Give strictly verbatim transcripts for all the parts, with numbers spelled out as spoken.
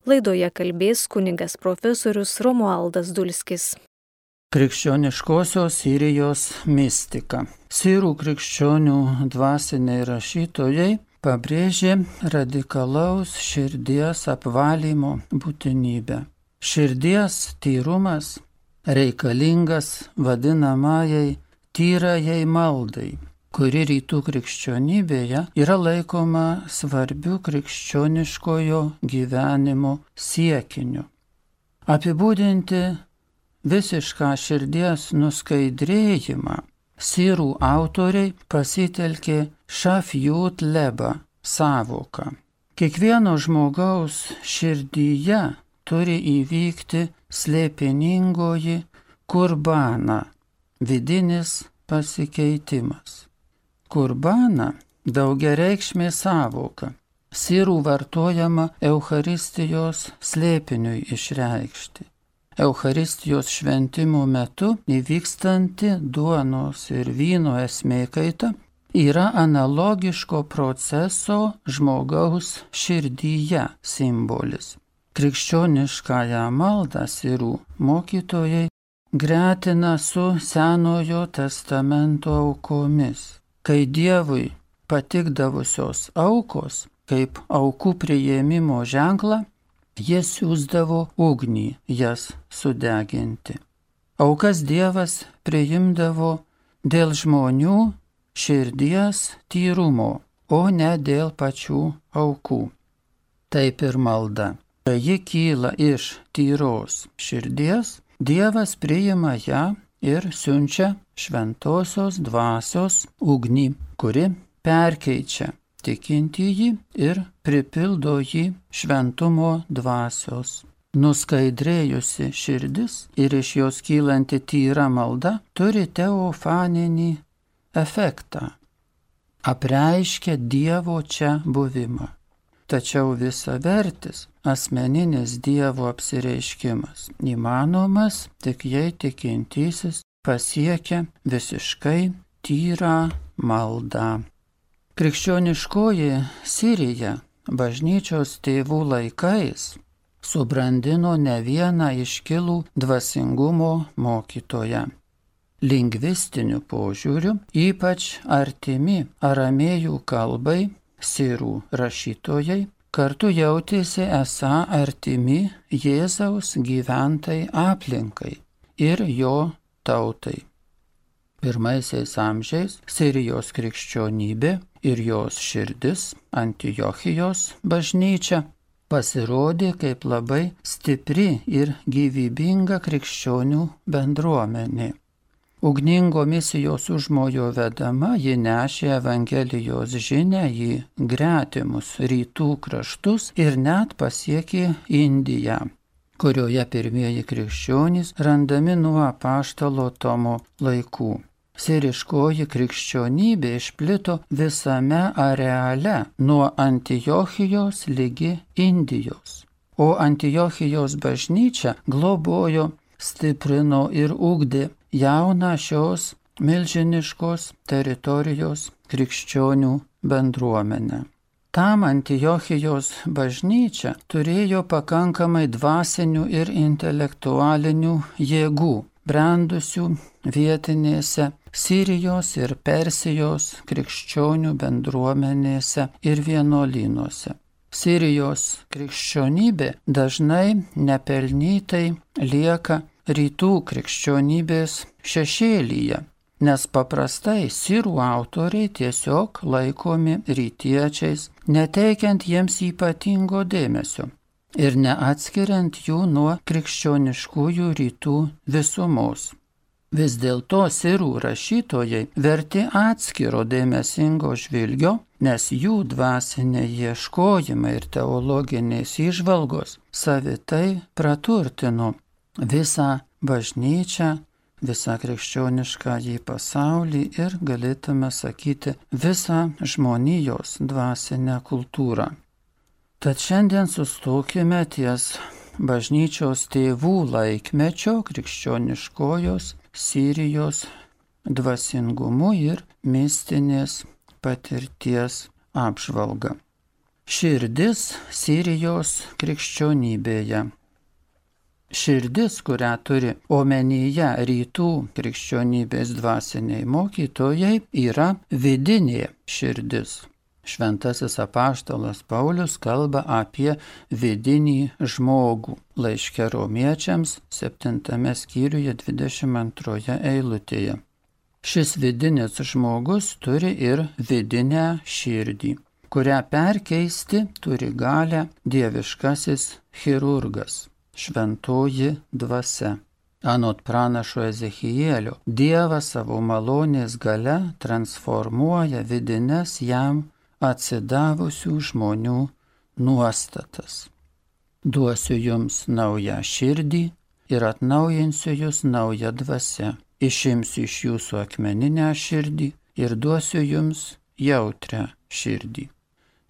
Laidoje kalbės kunigas profesorius Romualdas Dulskis. Krikščioniškosios Sirijos mistika. Sirų krikščionių dvasiniai rašytojai pabrėžė radikalaus širdies apvalymo būtinybę. Širdies tyrumas reikalingas vadinamajai tyrajai maldai, kuri rytų krikščionybėje yra laikoma svarbiu krikščioniškojo gyvenimo siekiniu. Apibūdinti visišką širdies nuskaidrėjimą sirų autoriai pasitelkė šafjut leba sąvoką. Kiekvieno žmogaus širdyje turi įvykti slėpiningoji kurbana, vidinis pasikeitimas. Kurbana daugiareikšmė sąvoka, sirų vartojama Eucharistijos slėpiniui išreikšti. Eucharistijos šventimo metu įvykstanti duonos ir vyno esmėkaita yra analogiško proceso žmogaus širdyje simbolis. Krikščioniškąją maldą sirų mokytojai gretina su Senojo testamento aukomis, kai Dievui patikdavusios aukos, kaip aukų priėmimo ženklą, jie siųsdavo ugnį jas sudeginti. Aukas Dievas priimdavo dėl žmonių širdies tyrumo, o ne dėl pačių aukų. Taip ir malda. Kai ji kyla iš tyros širdies, Dievas priima ją ir siunčia šventosios dvasios ugnį, kuri perkeičia tikintįjį ir pripildo jį šventumo dvasios. Nuskaidrėjusi širdis ir iš jos kylanti tyra malda turi teofaninį efektą. Apreiškia Dievo čia buvimą. Tačiau visavertis asmeninis Dievo apsireiškimas įmanomas tik jei tikintysis pasiekia visiškai tyrą maldą. Krikščioniškoji Sirija bažnyčios tėvų laikais subrandino ne vieną iškilų dvasingumo mokytoją. Lingvistiniu požiūriu ypač artimi aramėjų kalbai sirų rašytojai kartu jautėsi esą artimi Jėzaus gyventai aplinkai ir jo tautai. Pirmaisiais amžiais Sirijos krikščionybė ir jos širdis, Antiochijos bažnyčia, pasirodė kaip labai stipri ir gyvybinga krikščionių bendruomenė. Ugningo misijos užmojo vedama ji nešė Evangelijos žinią į gretimus rytų kraštus ir net pasiekė Indiją, kurioje pirmieji krikščionys randami nuo apaštalo Tomo laikų. Siriškoji krikščionybė išplito visame areale nuo Antiochijos ligi Indijos, o Antiochijos bažnyčia globojo, stiprino ir ugdė jauną šios milžiniškos teritorijos krikščionių bendruomenę. Tam Antiochijos bažnyčia turėjo pakankamai dvasinių ir intelektualinių jėgų, brendusių vietinėse Sirijos ir Persijos krikščionių bendruomenėse ir vienuolynuose. Sirijos krikščionybė dažnai nepelnytai lieka rytų krikščionybės šešėlyje, nes paprastai sirų autoriai tiesiog laikomi rytiečiais, neteikiant jiems ypatingo dėmesio ir neatskiriant jų nuo krikščioniškųjų rytų visumos. Vis dėlto sirų rašytojai verti atskiro dėmesingo žvilgio, nes jų dvasiniai ieškojimai ir teologinės įžvalgos savitai praturtino visą bažnyčią, visą krikščioniškąjį pasaulį ir, galėtume sakyti, visą žmonijos dvasinę kultūrą. Tad šiandien sustokime ties bažnyčios tėvų laikmečio krikščioniškojos Sirijos dvasingumu ir mistinės patirties apžvalga. Širdis Sirijos krikščionybėje. Širdis, kurią turi omenyje rytų krikščionybės dvasiniai mokytojai, yra vidinė širdis. Šventasis apaštalas Paulius kalba apie vidinį žmogų laiške Romiečiams septintame skyriuje dvidešimt antroje eilutėje. Šis vidinis žmogus turi ir vidinę širdį, kurią perkeisti turi galę dieviškasis chirurgas, šventoji dvasia. Anot pranašo Ezechielio, Dievas savo malonės gale transformuoja vidines jam atsidavusių žmonių nuostatas. Duosiu jums naują širdį ir atnaujinsiu jūs naują dvasią. Išimsiu iš jūsų akmeninę širdį ir duosiu jums jautrią širdį.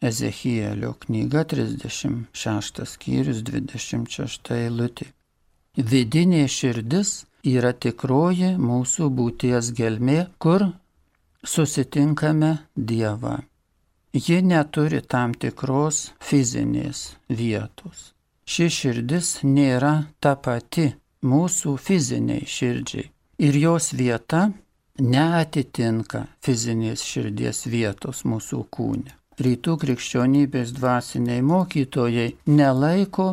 Ezechielio knyga trisdešimt šeštas skyrius dvidešimt šešta eilutė. Vidinė širdis yra tikroji mūsų būties gelmė, kur susitinkame Dievą. Ji neturi tam tikros fizinės vietos. Ši širdis nėra ta pati mūsų fiziniai širdžiai. Ir jos vieta neatitinka fizinės širdies vietos mūsų kūne. Rytų krikščionybės dvasiniai mokytojai nelaiko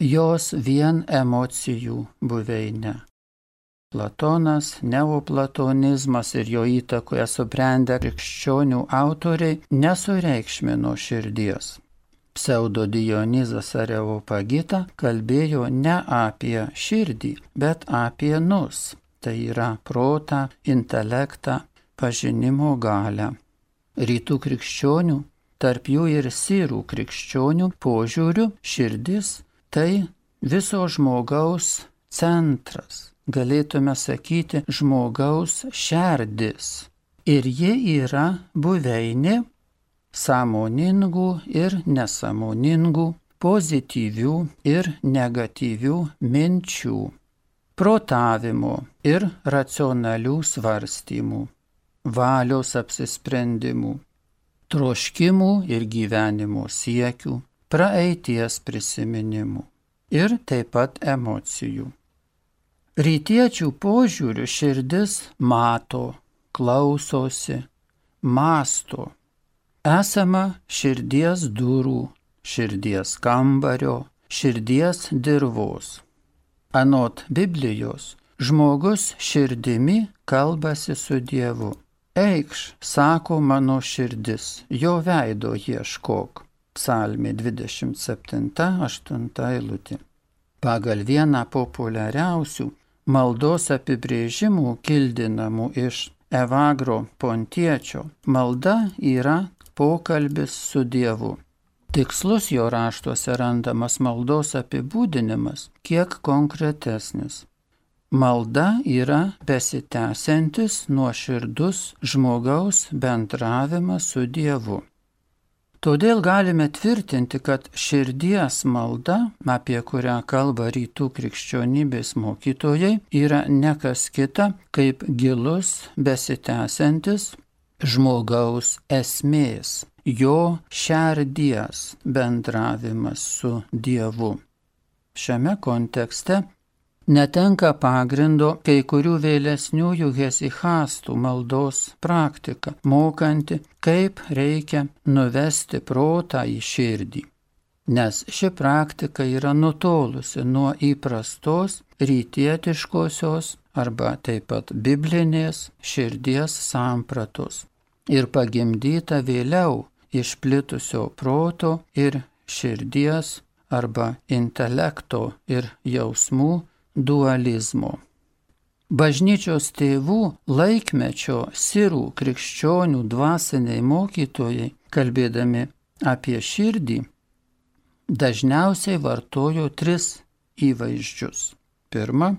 jos vien emocijų buveinę. Platonas, neoplatonizmas ir jo įtakoje subrendę krikščionių autoriai nesureikšmino širdies. Pseudo Dionizas Areopagita kalbėjo ne apie širdį, bet apie nus. Tai yra protą, intelektą, pažinimo galią. Rytų krikščionių, tarp jų ir sirų krikščionių požiūrių širdis tai viso žmogaus centras, galėtume sakyti žmogaus šerdis. Ir ji yra buveinė sąmoningų ir nesąmoningų, pozityvių ir negatyvių minčių, protavimo ir racionalių svarstymų, valios apsisprendimų, troškimų ir gyvenimo siekių, praeities prisiminimų ir taip pat emocijų. Rytiečių požiūrių širdis mato, klausosi, mąsto. Esama širdies durų, širdies kambario, širdies dirvos. Anot Biblijos, žmogus širdimi kalbasi su Dievu. Eikš, sako mano širdis, jo veido ieškok. Psalmė dvidešimt septinta aštunta eilutė. Pagal vieną populiariausių maldos apibrėžimų kildinamų iš Evagro Pontiečio, malda yra pokalbis su Dievu. Tikslus jo raštuose randamas maldos apibūdinimas kiek konkretesnis. Malda yra besitęsiantis nuoširdus žmogaus bendravimas su Dievu. Todėl galime tvirtinti, kad širdies malda, apie kurią kalba rytų krikščionybės mokytojai, yra ne kas kita kaip gilus besitęsiantis žmogaus esmės, jo šerdies bendravimas su Dievu. Šiame kontekste netenka pagrindo kai kurių vėlesniųjų hezichastų maldos praktika, mokanti, kaip reikia nuvesti protą į širdį. Nes ši praktika yra nutolusi nuo įprastos rytietiškosios arba taip pat biblinės širdies sampratos ir pagimdyta vėliau išplitusio proto ir širdies arba intelekto ir jausmų dualizmo. Bažnyčios tėvų laikmečio sirų krikščionių dvasiniai mokytojai, kalbėdami apie širdį, dažniausiai vartojo tris įvaizdžius. Pirma,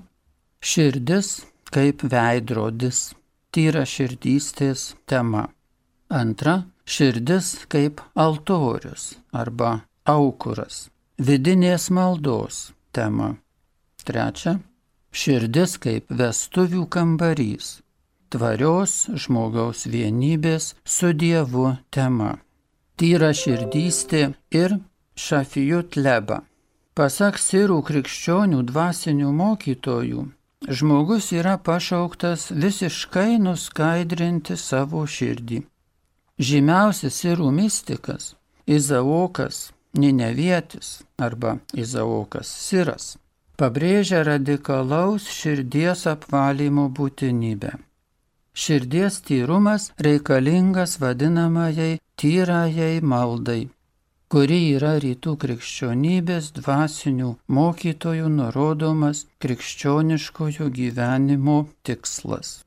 širdis kaip veidrodis, tyra širdystės tema. Antra, širdis kaip altorius arba aukuras, vidinės maldos tema. Trečia, širdis kaip vestuvių kambarys, tvarios žmogaus vienybės su Dievu tema. tyra širdystė ir šafijut leba. Pasak sirų krikščionių dvasinių mokytojų, žmogus yra pašauktas visiškai nuskaidrinti savo širdį. Žymiausias sirų mistikas Izaokas Ninevietis arba Izaokas Siras pabrėžia radikalaus širdies apvalymo būtinybę. Širdies tyrumas reikalingas vadinamajai tyrajai maldai, kuri yra rytų krikščionybės dvasinių mokytojų nurodomas krikščioniškojo gyvenimo tikslas.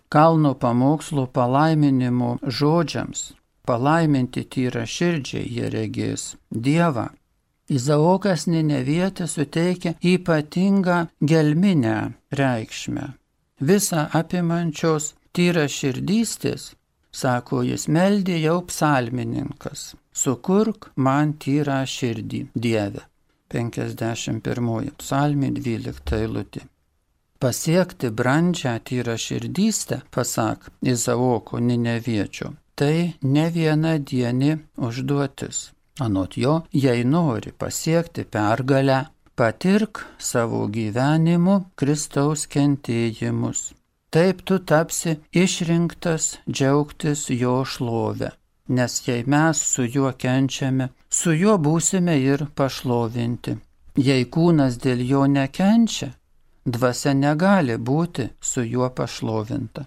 Kalno pamokslo palaiminimo žodžiams palaiminti tyra širdžiai jie regės Dievą. Izaokas Ninevietis suteikia ypatingą gelminę reikšmę. Visa apimančios tyra širdystės, sako jis, meldė jau psalmininkas. Sukurk man tyrą širdį, Dieve. penkiasdešimt pirmoji psalmė, dvylikta eilutė. Pasiekti brandžią tyrą širdystę, pasak Izaoko Nineviečio, tai ne viena dieni užduotis. Anot jo, jei nori pasiekti pergalę, patirk savo gyvenimu Kristaus kentėjimus. Taip tu tapsi išrinktas džiaugtis jo šlovę. Nes jei mes su juo kenčiame, su juo būsime ir pašlovinti. Jei kūnas dėl jo nekenčia, dvasia negali būti su juo pašlovinta.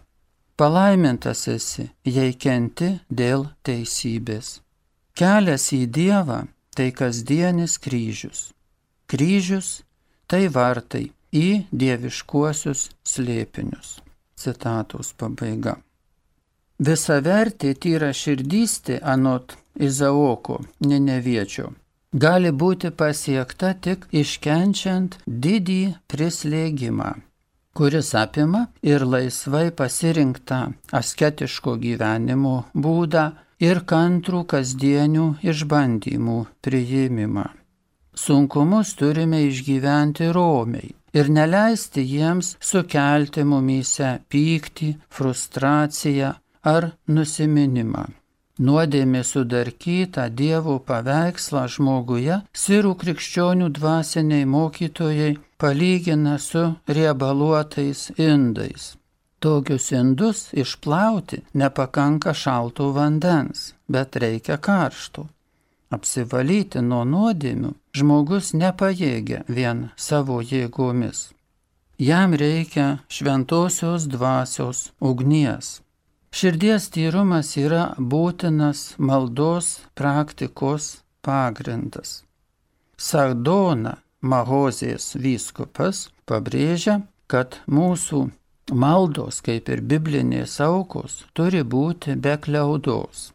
Palaimintas esi, jei kenti dėl teisybės. Kelias į Dievą tai kasdienis kryžius. Kryžius tai vartai į dieviškuosius slėpinius. Citatos pabaiga. Visavertė tyra širdystė anot Izaoko Nineviečio gali būti pasiekta tik iškenčiant didį prislėgimą, kuris apima ir laisvai pasirinktą asketiško gyvenimo būdą ir kantrų kasdienių išbandymų priėmimą. Sunkumus turime išgyventi romiai ir neleisti jiems sukelti mumyse pyktį, frustraciją ar nusiminimą. Nuodėmė sudarkytą Dievo paveikslą žmoguje sirų krikščionių dvasiniai mokytojai palygina su riebaluotais indais. Tokius indus išplauti nepakanka šalto vandens, bet reikia karšto. Apsivalyti nuo nuodėmių žmogus nepajėgia vien savo jėgomis. Jam reikia šventosios dvasios ugnies. Širdies tyrumas yra būtinas maldos praktikos pagrindas. Sardona Mahozės vyskupas pabrėžia, kad mūsų maldos, kaip ir biblinės aukos, turi būti be kliaudos.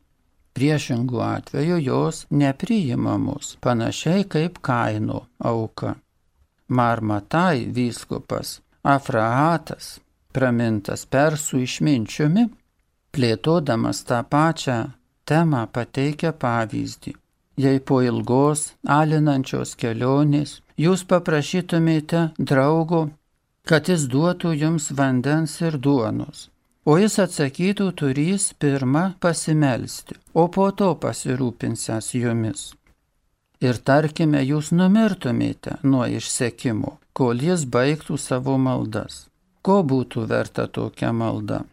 Priešingų atveju jos nepriimamos, panašiai kaip Kaino auka. Marmatai vyskupas Afrahatas, pramintas persų išminčiumi, plėtodamas tą pačią temą pateikia pavyzdį. Jei po ilgos, alinančios kelionės jūs paprašytumėte draugo, kad jis duotų jums vandens ir duonos, o jis atsakytų turys pirmą pasimelsti, o po to pasirūpinsęs jumis. Ir tarkime, jūs numirtumėte nuo išsekimo, kol jis baigtų savo maldas. Ko būtų verta tokia malda?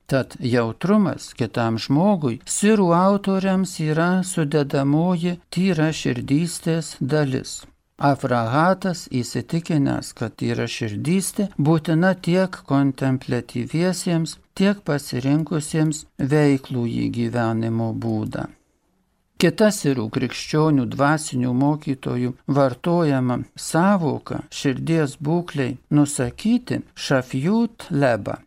Tad jautrumas kitam žmogui sirų autoriams yra sudedamoji tyra širdystės dalis. Afrahatas įsitikinęs, kad tyra širdystė būtina tiek kontempliatyviesiems, tiek pasirinkusiems veiklųjį gyvenimo būdą. Kita sirų krikščionių dvasinių mokytojų vartojama sąvoka širdies būklei nusakyti šafjut leba.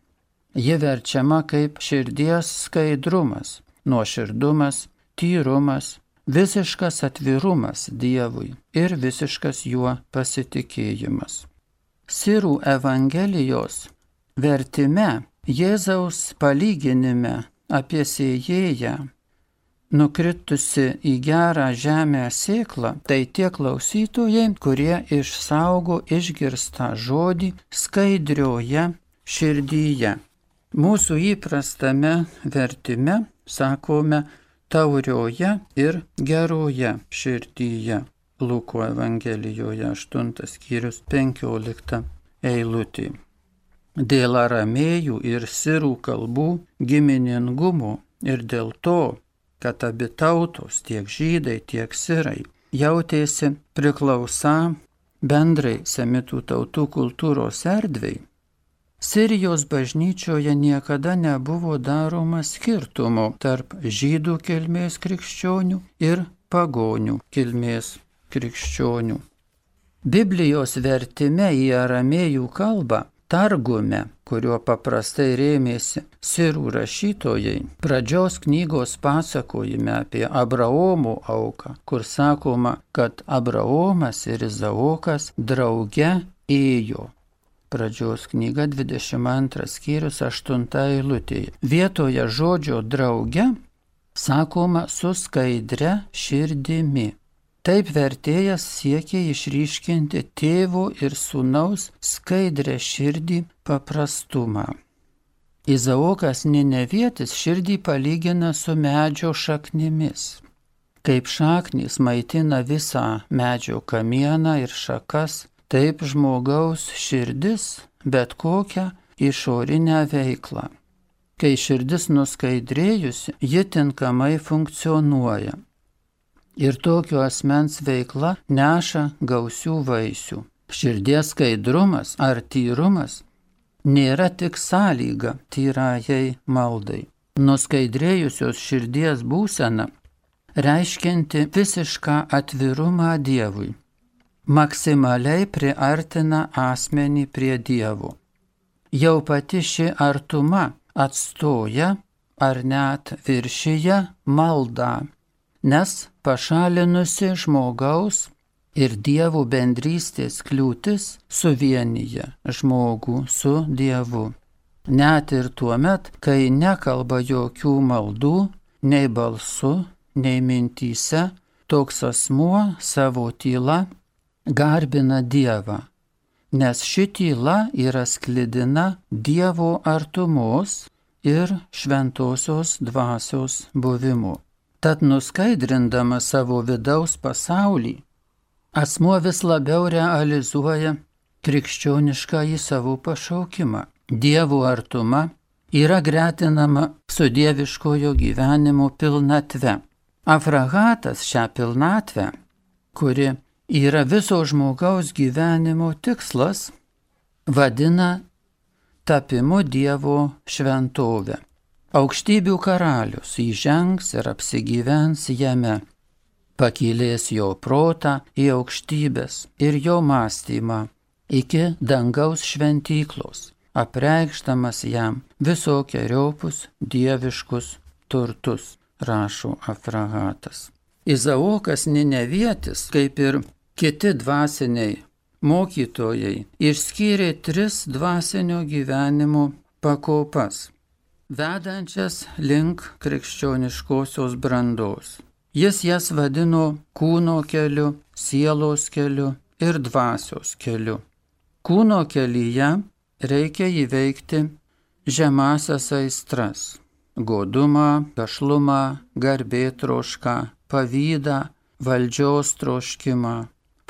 Ji verčiama kaip širdies skaidrumas, nuoširdumas, tyrumas, visiškas atvirumas Dievui ir visiškas juo pasitikėjimas. Sirų Evangelijos vertime Jėzaus palyginime apie sėjėją, nukritusi į gerą žemę sėklą, tai tie klausytojai, kurie išsaugo išgirstą žodį skaidrioje širdyje. Mūsų įprastame vertime sakome taurioje ir geroje širdyje. Luko Evangelijoje aštuntas skyrius penkiolikta eilutė. Dėl aramėjų ir sirų kalbų giminingumo ir dėl to, kad abi tautos, tiek žydai, tiek sirai, jautėsi priklausą bendrai semitų tautų kultūros erdvei, Sirijos bažnyčioje niekada nebuvo daroma skirtumo tarp žydų kilmės krikščionių ir pagonių kilmės krikščionių. Biblijos vertime į aramėjų kalbą, targume, kuriuo paprastai rėmėsi sirų rašytojai, pradžios knygos pasakojime apie Abraomo auką, kur sakoma, kad Abraomas ir Izaokas drauge ėjo. Pradžios knyga dvidešimt antras skyrius aštunta eilutėje. Vietoje žodžio drauge sakoma su skaidria širdimi. Taip vertėjas siekia išryškinti tėvo ir sūnaus skaidrę širdį paprastumą. Izaokas Ninevietis širdį palygina su medžio šaknimis. Kaip šaknys maitina visą medžio kamieną ir šakas, taip žmogaus širdis bet kokią išorinę veiklą. Kai širdis nuskaidrėjusi, ji tinkamai funkcionuoja. Ir tokio asmens veikla neša gausių vaisių. Širdies skaidrumas ar tyrumas nėra tik sąlyga tyrajai maldai. Nuskaidrėjusios širdies būsena reiškianti visišką atvirumą Dievui. Maksimaliai priartina asmenį prie Dievo. Jau pati ši artuma atstoja ar net viršyje maldą, nes pašalinusi žmogaus ir Dievo bendrystės kliūtis suvienyje žmogų su Dievu. Net ir tuomet, kai nekalba jokių maldų, nei balsu, nei mintyse, toks asmuo savo tyla garbina Dievą, nes ši tyla yra sklidina Dievo artumos ir šventosios dvasios buvimu. Tad nuskaidrindama savo vidaus pasaulį, asmuo vis labiau realizuoja krikščioniškąjį savo pašaukimą. Dievo artuma yra gretinama su dieviškojo gyvenimo pilnatve. Afrahatas šią pilnatvę, kuri yra viso žmogaus gyvenimo tikslas, vadina tapimu Dievo šventovę. Aukštybių karalius įžengs ir apsigyvens jame, pakylės jo protą į aukštybės ir jo mąstymą iki dangaus šventyklos, apreikšdamas jam visokieriopus dieviškus turtus, rašo Afrahatas. Izaokas Ninevietis, kaip ir kiti dvasiniai mokytojai, išskyrė tris dvasinio gyvenimo pakopas, vedančias link krikščioniškosios brandos. Jis jas vadino kūno keliu, sielos keliu ir dvasios keliu. Kūno kelyje reikia įveikti žemąsias aistras – godumą, gašlumą, garbėtrošką, pavydą, valdžios troškimą,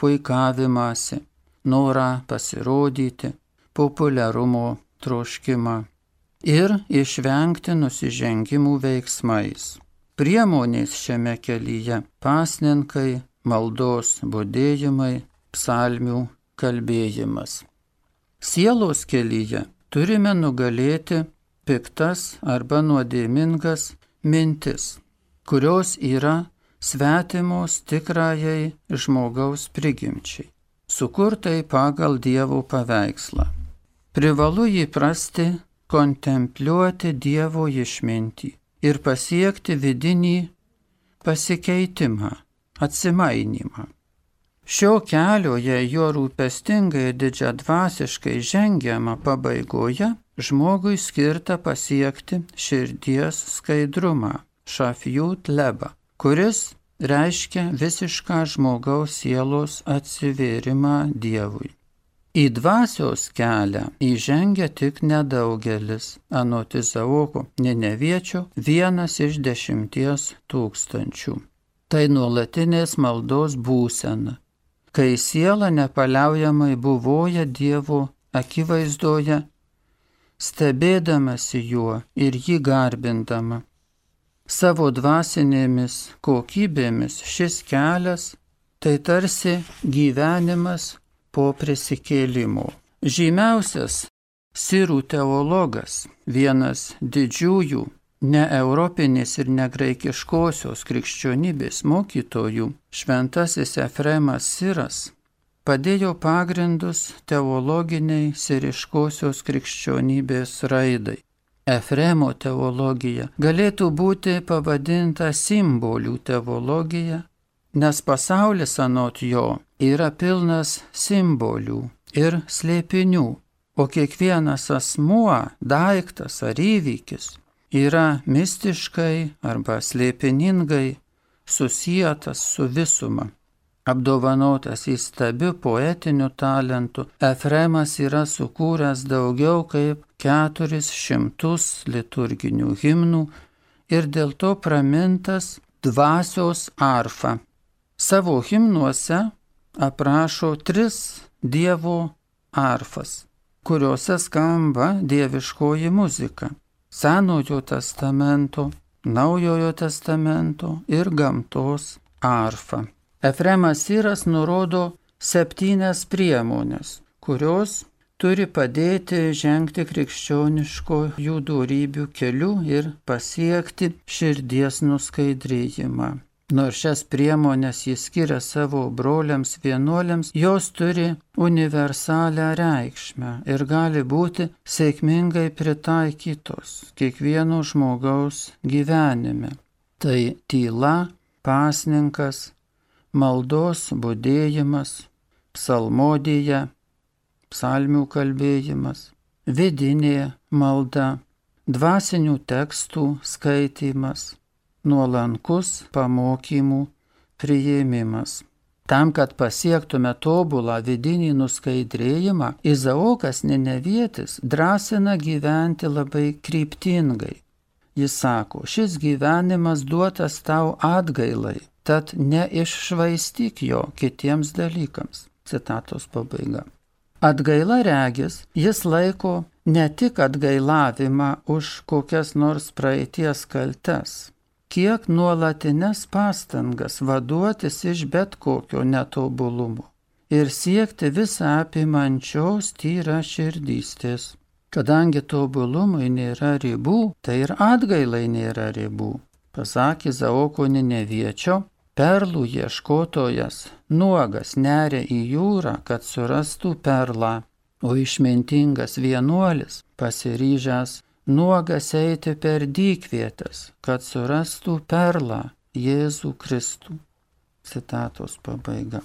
puikavimąsi, norą pasirodyti, populiarumo troškimą ir išvengti nusižengimų veiksmais. Priemonės šiame kelyje – pasninkai, maldos budėjimai, psalmių kalbėjimas. Sielos kelyje turime nugalėti piktas arba nuodėmingas mintis, kurios yra svetimos tikrajai žmogaus prigimčiai, sukurtai pagal Dievo paveikslą. Privalu įprasti kontempliuoti Dievo išmintį ir pasiekti vidinį pasikeitimą, atsimainimą. Šio kelio, jei jo rūpestingai ir didžiadvasiškai žengiama pabaigoje, žmogui skirta pasiekti širdies skaidrumą, šafjut leba, kuris reiškia visišką žmogaus sielos atsivėrimą Dievui. Į dvasios kelią įžengia tik nedaugelis, anot Izaoko Nineviečio vienas iš dešimties tūkstančių. Tai nuolatinės maldos būsena, kai siela nepaliaujamai buvoja Dievo akivaizdoje, stebėdamasi juo ir jį garbindama. Savo dvasinėmis kokybėmis šis kelias tai tarsi gyvenimas po prisikėlimo. Žymiausias sirų teologas, vienas didžiųjų ne europinės ir ne graikiškosios krikščionybės mokytojų, šventasis Efremas Siras, padėjo pagrindus teologiniai siriškosios krikščionybės raidai. Efremo teologija galėtų būti pavadinta simbolių teologija, nes pasaulis anot jo yra pilnas simbolių ir slėpinių, o kiekvienas asmuo, daiktas ar įvykis yra mistiškai arba slėpiningai susietas su visuma. Apdovanotas įstabiu poetiniu talentu, Efremas yra sukūręs daugiau kaip keturis šimtus liturginių himnų ir dėl to pramintas dvasios arfa. Savo himnuose aprašo tris Dievo arfas, kuriuose skamba dieviškoji muzika – Senojo testamento, Naujojo testamento ir gamtos arfa. Efremas Siras nurodo septynias priemonės, kurios turi padėti žengti krikščioniškojų dorybių keliu ir pasiekti širdies nuskaidrėjimą. Nors šias priemonės jis skiria savo broliams vienuoliams, jos turi universalią reikšmę ir gali būti sėkmingai pritaikytos kiekvieno žmogaus gyvenime. Tai tyla, pasninkas, maldos budėjimas, psalmodija, psalmių kalbėjimas, vidinė malda, dvasinių tekstų skaitymas, nuolankus pamokymų priėmimas. Tam, kad pasiektume tobulą vidinį nuskaidrėjimą, Izaokas Ninevietis drąsina gyventi labai kryptingai. Jis sako, šis gyvenimas duotas tau atgailai, tad neiššvaistyk jo kitiems dalykams. Citatos pabaiga. Atgaila regis, jis laiko ne tik atgailavimą už kokias nors praeities kaltes, kiek nuolatines pastangas vaduotis iš bet kokio netobulumo ir siekti visą apimančios tyra širdystės. Kadangi tobulumui nėra ribų, tai ir atgailai nėra ribų. Pasak Izaoko Nineviečio, perlų ieškotojas nuogas neria į jūrą, kad surastų perlą, o išmintingas vienuolis pasiryžęs nuogas eiti per dykvietes, kad surastų perlą Jėzų Kristų. Citatos pabaiga.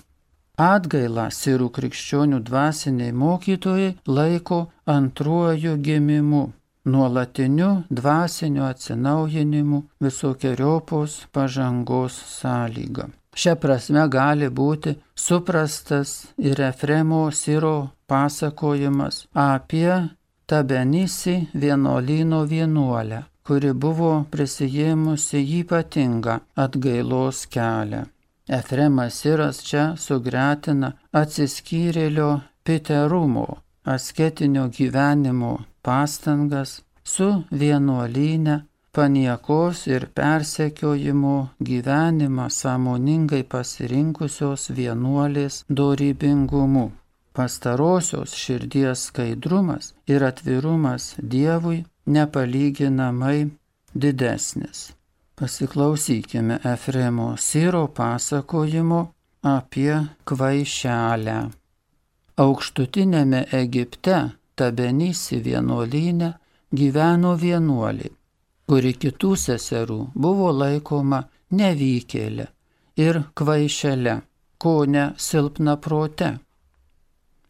Atgailą sirų krikščionių dvasiniai mokytojai laiko antruoju gimimu, nuolatiniu dvasiniu atsinaujinimu, visokiojopos pažangos sąlyga. Šia prasme gali būti suprastas ir Efremo Siro pasakojimas apie Tabenisi vienuolyno vienuolę, kuri buvo prisijėmusi ypatingą atgailos kelią. Efremas Siras čia sugretina atsiskyrėlio piterumo, asketinio gyvenimo pastangas su vienuolyne, paniekos ir persekiojimo gyvenimą sąmoningai pasirinkusios vienuolės dorybingumu. Pastarosios širdies skaidrumas ir atvirumas Dievui nepalyginamai didesnis. Pasiklausykime Efremo Siro pasakojimo apie kvaišelę. Aukštutinėme Egipte Tabenisi vienuolyne gyveno vienuolė, kuri kitų seserų buvo laikoma nevykėlė ir kvaišele, kone silpnaprote.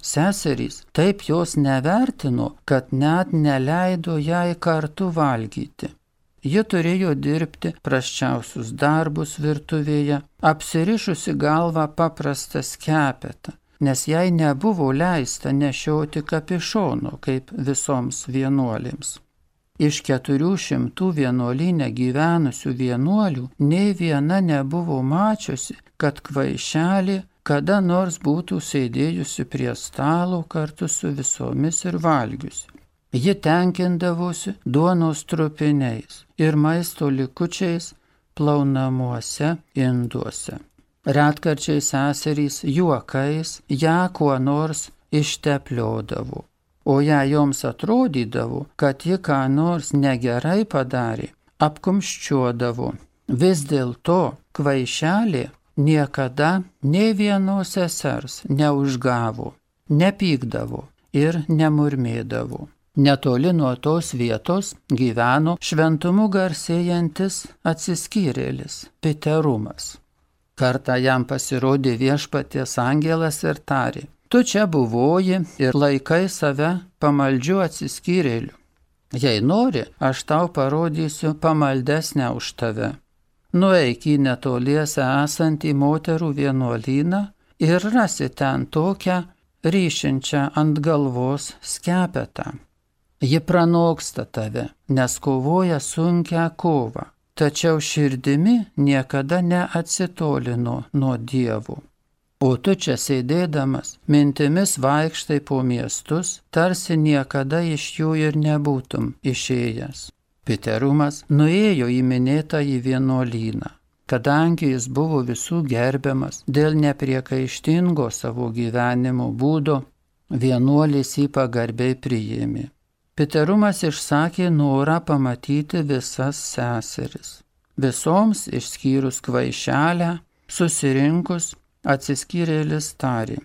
Seserys taip jos nevertino, kad net neleido jai kartu valgyti. Ji turėjo dirbti prasčiausius darbus virtuvėje, apsirišusi galvą paprastą skepetą nes jai nebuvo leista nešioti kapišono kaip visoms vienuolėms. Iš keturių šimtų vienuolyne gyvenusių vienuolių nei viena nebuvo mačiusi, kad kvaišelė kada nors būtų sėdėjusi prie stalo kartu su visomis ir valgiusi. Ji tenkindavosi duonos trupiniais ir maisto likučiais plaunamuose induose. Retkarčiais seserys juokais ją kuo nors ištepliodavo, o jei joms atrodydavo, kad ji ką nors negerai padarė, apkumščiuodavo. Vis dėlto kvaišelė niekada nė vienos sesers neužgavo, nepykdavo ir nemurmėdavo. Netoli nuo tos vietos gyveno šventumu garsėjantis atsiskyrėlis Piterumas. Kartą jam pasirodė viešpaties angelas ir tarė: tu čia buvoji ir laikai save pamaldžiu atsiskyrėliu. Jei nori, aš tau parodysiu pamaldesnę už tave. Nueik į netoliese esantį moterų vienuolyną ir rasi ten tokią ryšinčią ant galvos skepetą. Ji pranoksta tave, nes kovoja sunkią kovą, tačiau širdimi niekada neatsitolino nuo Dievo. O tu čia sėdėdamas, mintimis vaikštai po miestus, tarsi niekada iš jų ir nebūtum išėjęs. Piterumas nuėjo į minėtąjį vienuolyną. Kadangi jis buvo visų gerbiamas dėl nepriekaištingo savo gyvenimo būdo, vienuolis jį pagarbiai priėmė. Piterumas išsakė norą pamatyti visas seseris. Visoms išskyrus kvaišelę, susirinkus, atsiskyrėlis tarė: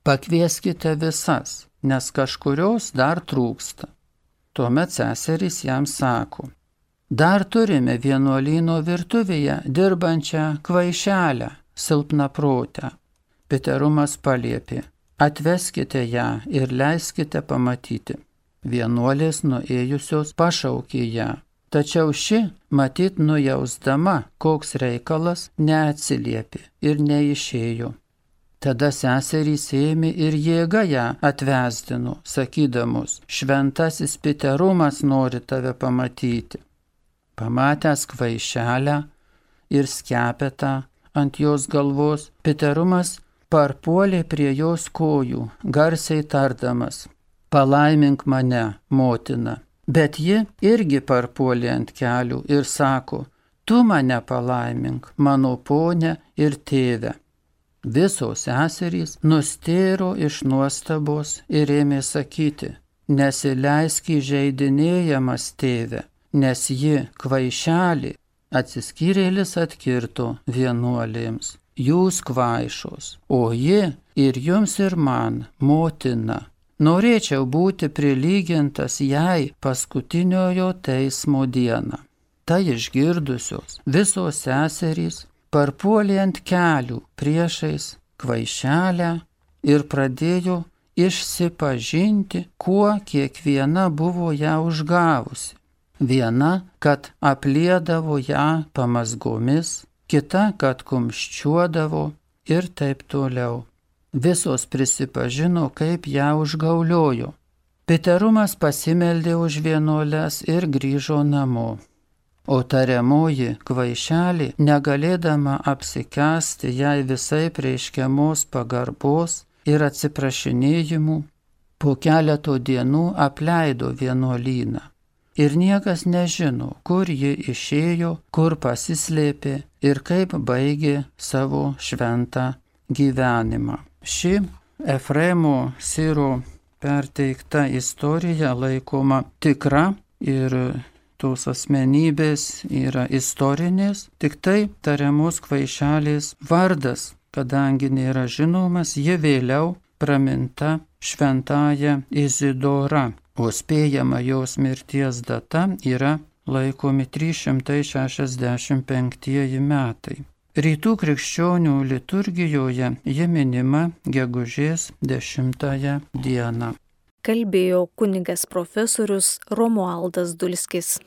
pakvieskite visas, nes kažkurios dar trūksta. Tuomet seserys jam sako: dar turime vienuolyno virtuvėje dirbančią kvaišelę, silpnaprotę. Piterumas paliepė: atveskite ją ir leiskite pamatyti. Vienuolės nuėjusios pašaukė ją, tačiau ši, matyt nujausdama, koks reikalas, neatsiliepė ir neišėjo. Tada seserys ėmė ir jėga ją atvesdino, sakydamos: šventasis Piterumas nori tave pamatyti. Pamatęs kvaišelę ir skepetą ant jos galvos, Piterumas parpuolė prie jos kojų, garsiai tardamas: palaimink mane, motina. Bet ji irgi parpuolė ant kelių ir sako: tu mane palaimink, mano ponė ir tėve. Visos seserys nustėro iš nuostabos ir ėmė sakyti: nesileisk įžeidinėjamas, tėve, nes ji kvaišelė. Atsiskyrėlis atkirto vienuolėms: jūs kvaišos, o ji ir jums ir man, motina. Norėčiau būti prilygintas jai paskutiniojo teismo dieną. Tai išgirdusios visos seserys parpuolė ant kelių priešais kvaišelę ir pradėjo išsipažinti, kuo kiekviena buvo ją užgavusi. Viena, kad apliedavo ją pamazgomis, kita, kad kumščiuodavo ir taip toliau. Visos prisipažino, kaip ją užgauliojo. Piterumas pasimeldė už vienuoles ir grįžo namo. O tariamoji kvaišelė, negalėdama apsikęsti jai visai reiškiamos pagarbos ir atsiprašinėjimų, po keleto dienų apleido vienuolyną. Ir niekas nežino, kur ji išėjo, kur pasislėpė ir kaip baigė savo šventą gyvenimą. Ši Efremo Siro perteikta istorija laikoma tikra ir tos asmenybės yra istorinės, tik tai tariamos kvaišelės vardas, kadangi nėra žinomas, ji vėliau praminta šventąja Izidora, o spėjama jos mirties data yra laikomi trys šimtai šešiasdešimt penktieji metai. Rytų krikščionių liturgijoje ji minima gegužės dešimtąją dieną. Kalbėjo kunigas profesorius Romualdas Dulskis.